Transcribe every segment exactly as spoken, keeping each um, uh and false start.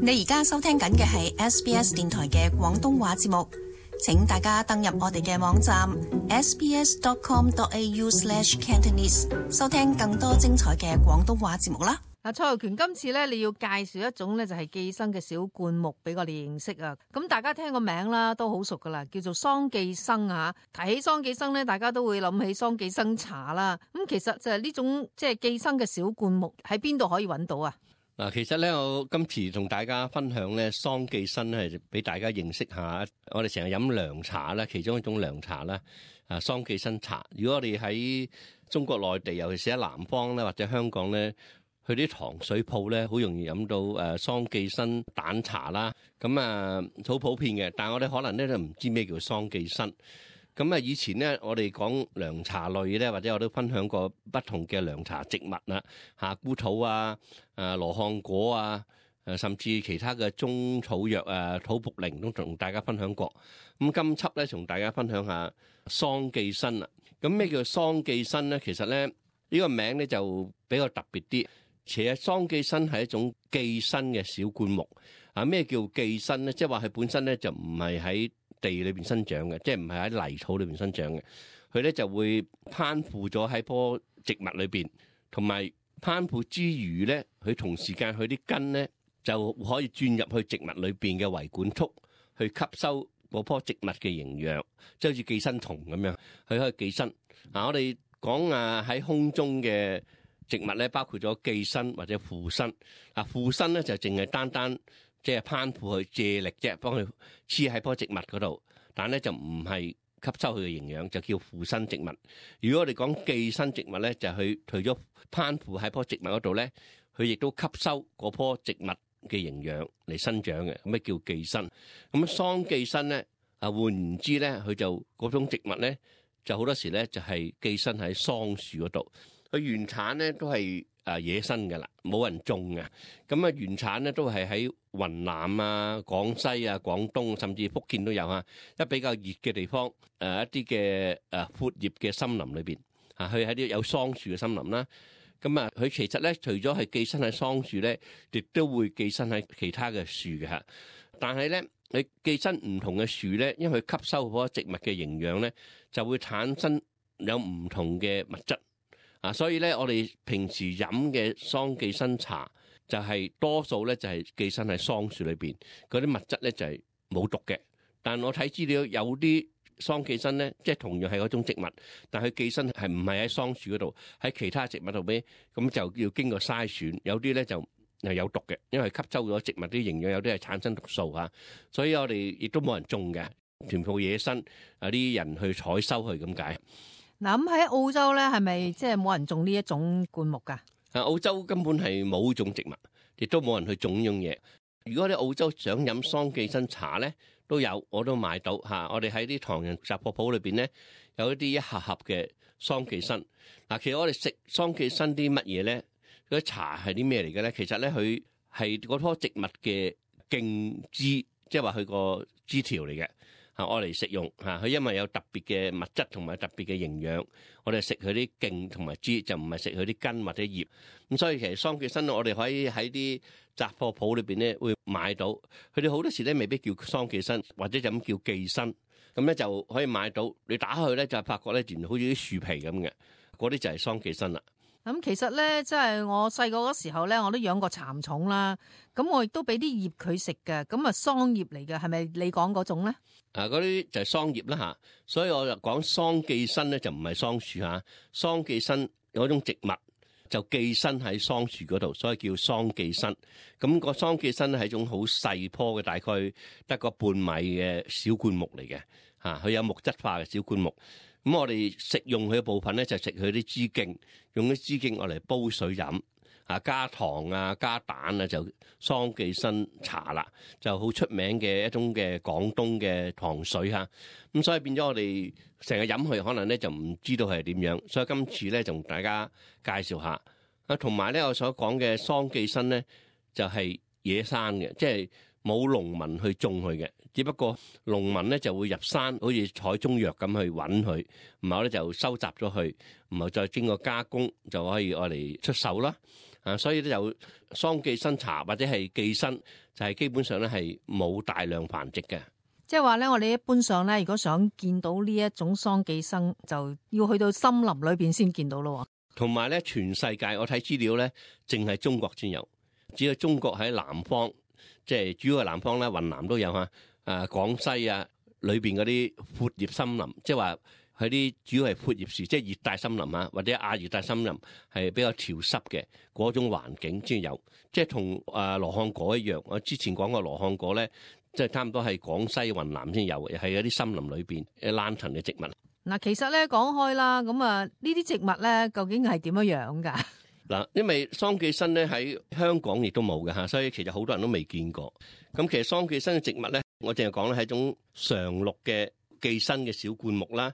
你而家收聽緊嘅係 S B S 電台嘅廣東話節目，請大家登入我哋嘅網站 s b s dot com dot a u slash cantonese 收聽更多精彩嘅廣東話節目啦。嗱，蔡浩權今次咧，你要介紹一種咧就係寄生嘅小灌木俾我哋認識啊。咁大家聽個名啦，都好熟噶啦，叫做桑寄生啊。提起桑寄生咧，大家都會諗起桑寄生茶啦。咁其實就係呢種即係寄生嘅小灌木喺邊度可以揾到啊？嗱，其實咧，我今次同大家分享咧，桑寄生咧，俾大家認識下。我哋成日飲涼茶啦，其中一種涼茶啦，啊，桑寄生茶。如果我哋喺中國內地，尤其是喺南方咧，或者香港咧，去啲糖水鋪咧，好容易飲到誒桑寄生蛋茶啦。咁啊，好普遍嘅。但係我哋可能咧都唔知咩叫桑寄生。咁啊，以前咧，我哋講涼茶類咧，或者我都分享過不同嘅涼茶植物啦，夏枯草啊、誒羅漢果啊、誒甚至其他嘅中草藥啊、土茯苓都同大家分享過。咁今輯咧，同大家分享下桑寄生啦。咁咩叫桑寄生咧？其實咧，呢個名咧就比較特別啲。其實桑寄生係一種寄生嘅小灌木。啊，咩叫寄生咧？即係話佢本身咧就唔係喺地裏邊生長嘅，即係唔係喺泥土裏邊生長嘅。佢咧就會攀附咗喺棵植物裏邊，同埋攀附之餘咧，佢同時間佢啲根咧就可以鑽入去植物裏邊嘅維管束，去吸收嗰棵植物嘅營養，即係好似寄生蟲咁樣，佢可以寄生。嗱，我哋講啊喺空中嘅植物咧，包括咗寄生或者附生。嗱，附生咧就淨係單單即係攀附去借力啫，幫佢黐喺棵植物嗰度，但咧就唔係吸收佢嘅營養，就叫附生植物。如果我哋講寄生植物咧，就係佢除咗攀附喺棵植物嗰度咧，佢亦都吸收嗰棵植物嘅營養嚟生長嘅，咁咩叫寄生？咁桑寄生咧，啊換言之咧，佢就嗰種植物咧，就好多時咧就係寄生喺桑樹嗰度。佢原產咧都係誒野生嘅啦，冇人種嘅。咁啊原產咧都係喺雲南啊、廣西啊、廣東甚至福建都有啊。一比較熱嘅地方，誒一啲嘅誒闊葉嘅森林裏邊啊，佢喺啲有桑樹嘅森林啦。咁啊，佢其實咧除咗係寄生喺桑樹咧，亦都會寄生喺其他嘅樹嘅嚇。但係咧，佢寄生唔同嘅樹咧，因為佢吸收嗰個植物嘅營養咧，就會產生有唔同嘅物質。啊，所以咧，我哋平時飲嘅桑寄生茶就係多數咧就係寄生喺桑樹裏邊，嗰啲物質咧就係冇毒嘅。但我睇資料有啲桑寄生咧，即係同樣係嗰種植物，但佢寄生係唔係喺桑樹嗰度，喺其他植物度邊，咁就要經過篩選。有啲咧就係有毒嘅，因為吸收咗植物啲營養，有啲係產生毒素嚇。所以我哋亦都冇人種嘅，全部野生，有啲人去採收佢咁解。嗱，咁喺澳洲咧，係咪即係冇人種呢一種灌木噶？啊，澳洲根本係冇種植物，亦都冇人去種呢樣嘢。如果你澳洲想飲桑寄生茶咧，都有，我都買到嚇。我哋喺啲唐人雜貨鋪裏邊咧，有一啲一盒盒嘅桑寄生。嗱，其實我哋食桑寄生啲乜嘢咧？嗰啲茶係啲咩嚟嘅咧？其實咧，佢係嗰棵植物嘅莖枝，即係話佢個枝條嚟嘅。嚇，我嚟食用嚇，佢因為有特別嘅物質同埋特別嘅營養，我哋食佢啲莖同埋枝，就唔係食佢啲根或者葉。咁所以其實桑寄生我哋可以喺啲雜貨鋪裏邊咧會買到，佢哋好多時咧未必叫桑寄生，或者就咁叫寄生，咁咧就可以買到。你打開咧就發覺咧，原來好似啲樹皮咁嘅，嗰啲就係桑寄生啦。咁其實咧，即係我細個嗰時候咧，我都養過蠶蟲啦。咁我亦都俾啲葉佢食嘅。咁啊，桑葉嚟嘅，係咪你講嗰種咧？啊，嗰啲就係桑葉啦嚇。所以我就講桑寄生咧，就唔係桑樹嚇。桑寄生有一種植物就寄生喺桑樹嗰度，所以叫桑寄生。咁個桑寄生咧係一種好細棵嘅，大概得個半米嘅小灌木嚟嘅嚇。佢有木質化嘅小灌木。咁我哋食用佢嘅部分咧，就食佢啲枝莖，用啲枝莖我嚟煲水飲，啊加糖啊加蛋啊，就桑寄生茶啦，就好出名嘅一種嘅廣東嘅糖水嚇。咁所以變咗我哋成日飲佢，可能咧就唔知道係點樣。所以今次咧同大家介紹下啊，同埋咧我所講嘅桑寄生咧就係野生嘅，即係冇農民去種佢嘅，只不過農民咧就會入山，好似採中藥咁去揾佢，然後咧就收集咗佢，然後再經過加工就可以愛嚟出售啦。啊，所以咧就桑寄生茶或者係寄生就係基本上咧係冇大量繁殖嘅。即係話咧，我哋一般上咧，如果想見到呢一種桑寄生，就要去到森林裏邊先見到咯。同埋咧，全世界我睇資料咧，淨係中國先有，只有中國喺南方，即係主要係南方咧，雲南都有嚇。啊，廣西啊，裏邊嗰啲闊葉森林，即係話佢啲主要係闊葉樹，即係熱帶森林啊，或者亞熱帶森林係比較潮濕嘅嗰種環境先有。即係同啊羅漢果一樣，我之前講過羅漢果咧。即係差唔多係廣西、雲南先有嘅，係嗰啲森林裏邊嘅爛藤嘅植物。嗱，其實咧講開啦，咁啊呢啲植物咧究竟係點樣樣㗎？嗱，因為桑寄生咧喺香港亦都冇嘅嚇，所以其實好多人都未見過。咁其實桑寄生嘅植物咧，我淨係講咧係一種常綠嘅寄生嘅小灌木啦。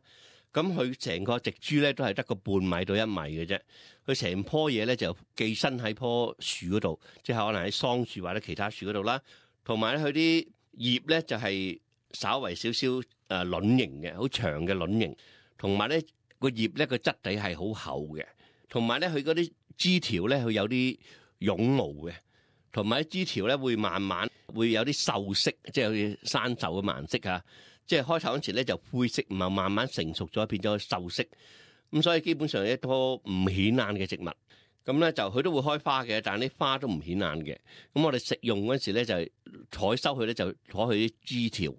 咁佢成個植株咧都係得個半米到一米嘅啫。佢成棵嘢咧就寄生喺棵樹嗰度，即係可能喺桑樹或者其他樹嗰度啦。同埋咧佢啲葉咧就係稍為少少誒卵形嘅，好長嘅卵形，同埋咧個葉咧個質地係好厚嘅，同埋咧佢嗰啲枝條咧佢有啲絨毛嘅，同埋啲枝條咧會慢慢會有啲鏽色，即係好似生鏽嘅顏色啊！即係開頭嗰時咧就灰色，唔係慢慢成熟咗變咗鏽色，咁所以基本上一棵唔顯眼嘅植物。咁咧就佢都會開花嘅，但係啲花都唔顯眼嘅。咁我哋食用嗰時咧就採收佢咧就攞佢啲枝條，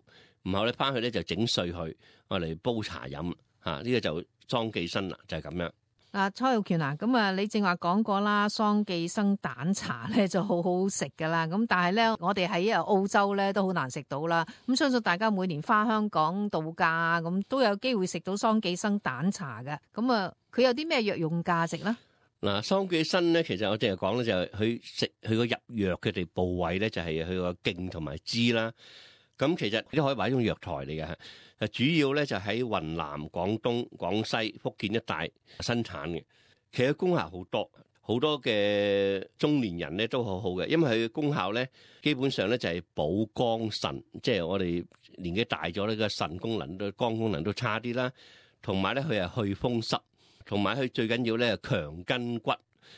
然後咧翻去咧就整碎佢，我嚟煲茶飲嚇。呢、這個就桑寄生啦，就係、是、咁樣。嗱，蔡玉權啊，咁啊，你正話講過啦，桑寄生蛋茶咧就好好食噶啦。咁但係咧，我哋喺啊澳洲咧都好難食到啦。咁相信大家每年返香港度假咁都有機會食到桑寄生蛋茶嘅。咁啊，佢有啲咩藥用價值咧？嗱，桑寄生咧，其實我淨係講咧，就係佢食佢個入藥嘅地部位咧，就係佢個莖同埋枝啦。咁其實都可以話一種藥材嚟嘅，誒主要咧就喺雲南、廣東、廣西、福建一帶生產嘅。其實功效好多，好多嘅中年人咧都好好嘅，因為佢嘅功效咧基本上咧就係補肝腎，即係我哋年紀大咗呢個腎功能都肝功能都差啲啦，同埋咧佢係去風濕。同埋佢最緊要咧強筋骨，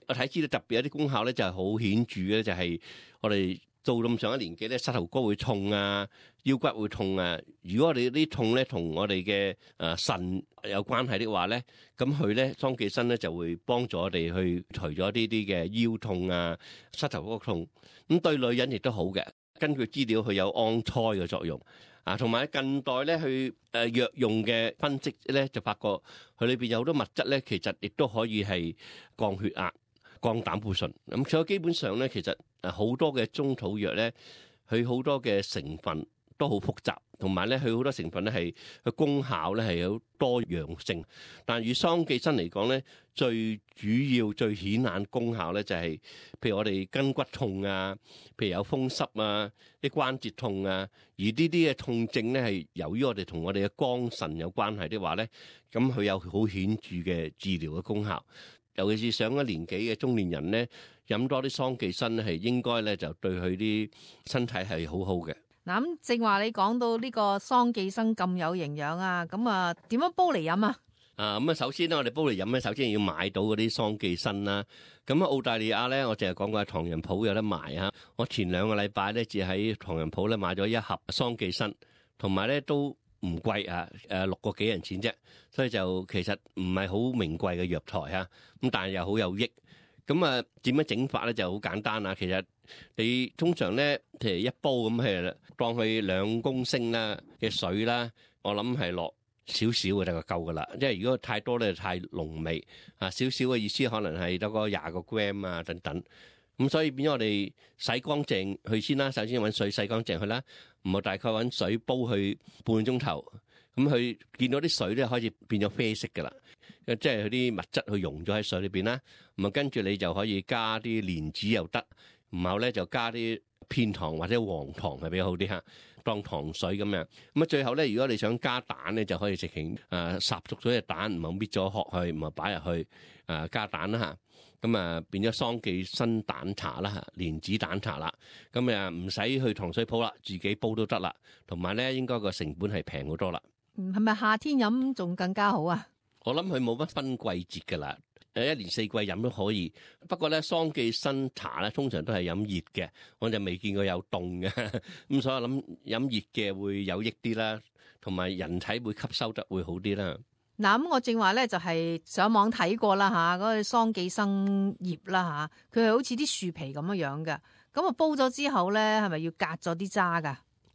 我睇知道特別有啲功效咧就係好顯著嘅，就係我哋到咁上一年紀咧膝頭哥會痛啊，腰骨會痛啊。如果我哋啲痛咧同我哋嘅誒腎有關係的話咧，咁佢咧桑寄生咧就會幫助我哋去除咗呢啲嘅腰痛啊、膝頭哥痛。咁對女人亦都好嘅，根據資料佢有安胎嘅作用。啊，同埋近代咧，去誒藥用嘅分析咧，就發覺佢裏邊有好多物質咧，其實亦都可以係降血壓、降膽固醇。咁所以基本上咧，其實誒好多嘅中草藥咧，佢好多嘅成分都好複雜，同埋咧佢好多成分咧係佢功效咧係有多樣性。但係以桑寄生嚟講咧，最主要最顯眼功效咧就係、是，譬如我哋筋骨痛啊，譬如有風濕啊，啲關節痛啊，而呢啲嘅痛症咧係由於我哋同我哋嘅肝腎有關係的話咧，咁佢有好顯著嘅治療嘅功效。尤其是上咗年紀嘅中年人咧，飲多啲桑寄生咧係應該咧就對佢啲身體係好好嘅。嗱，咁正話你講到呢個桑寄生咁有營養啊，咁啊點樣煲嚟飲啊？啊咁啊，首先咧，我哋煲嚟飲咧，首先要買到嗰啲桑寄生啦。咁喺澳大利亞咧，我淨係講過喺唐人鋪有得賣啊。我前兩個禮拜咧，只喺唐人鋪咧買咗一盒桑寄生，同埋咧都唔貴啊，誒六個幾銀錢啫。所以就其實唔係好名貴嘅藥材啊。咁但係又好有益。咁啊，點樣整法咧就好簡單啊。其實你通常咧，譬如一煲咁係當佢兩公升啦嘅水啦，我諗係落少少嘅就夠噶啦。因為如果太多咧太濃味啊，少少嘅意思可能係得個廿個 gram 啊等等。咁所以變咗我哋洗乾淨佢先啦。首先揾水洗乾淨佢啦，唔好大概揾水煲佢半個鐘頭。咁佢見到啲水咧開始變咗啡色噶啦。即係佢啲物質去溶咗喺水裏邊啦，咁啊跟住你就可以加啲蓮子又得，然後咧就加啲片糖或者黃糖係比較好啲嚇，當糖水咁樣。咁啊最後咧，如果你想加蛋咧，就可以直情誒烚熟咗隻蛋，然後搣咗殼去，然後擺入去誒加蛋啦嚇。咁啊變咗桑寄生蛋茶啦嚇，蓮子蛋茶啦。咁啊唔使去糖水鋪啦，自己煲都得啦。同埋咧應該個成本係平好多啦。係咪夏天飲仲更加好啊？我諗佢冇乜分季節噶啦，誒一年四季飲都可以。不過咧，桑寄生茶咧通常都係飲熱嘅，我就未見過有凍嘅。咁所以我諗飲熱嘅會有益啲啦，同埋人體會吸收得會好啲啦。嗱，咁我正話咧就係上網睇過啦嚇，嗰個桑寄生葉啦嚇，佢係好似啲樹皮咁樣樣嘅。咁啊煲咗之後咧，係咪要隔咗啲渣噶？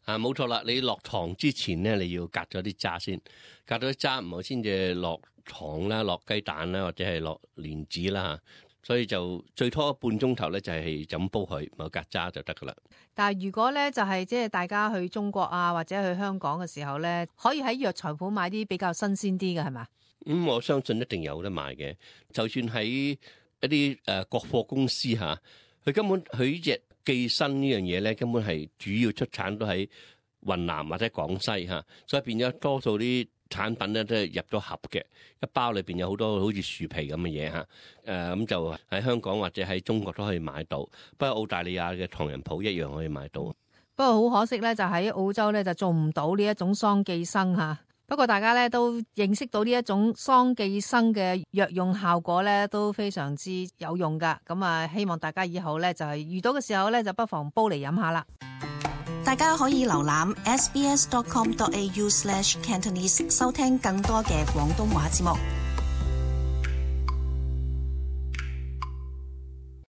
啊，冇錯啦！你落糖之前咧，你要隔咗啲渣先，隔咗啲渣唔好先至落糖啦，落雞蛋啦，或者係落蓮子啦。所以就最拖半鐘頭咧，就係就咁煲佢，冇隔渣就得噶啦。但係如果咧就係即係大家去中國啊，或者去香港嘅時候咧，可以喺藥材鋪買啲比較新鮮啲嘅係嘛？咁、嗯、我相信一定有得賣嘅。就算喺一啲誒、呃、國貨公司嚇，佢、啊、根本佢呢隻寄生呢樣嘢咧，根本係主要出產都喺雲南或者廣西嚇、啊，所以變咗多數啲產品咧都係入咗盒嘅，一包裏邊有好多好似樹皮咁嘅嘢嚇，誒、啊、咁就喺香港或者喺中國都可以買到，不過澳大利亞嘅唐人鋪一樣可以買到。不過好可惜咧，就喺澳洲咧就做唔到呢一種桑寄生嚇。不過大家咧都認識到呢一種桑寄生嘅藥用效果咧都非常之有用噶，咁啊希望大家以後咧就係遇到嘅時候咧就不妨煲嚟飲下啦。大家可以瀏覽 s b s dot com dot a u slash cantonese 收聽更多嘅廣東話節目。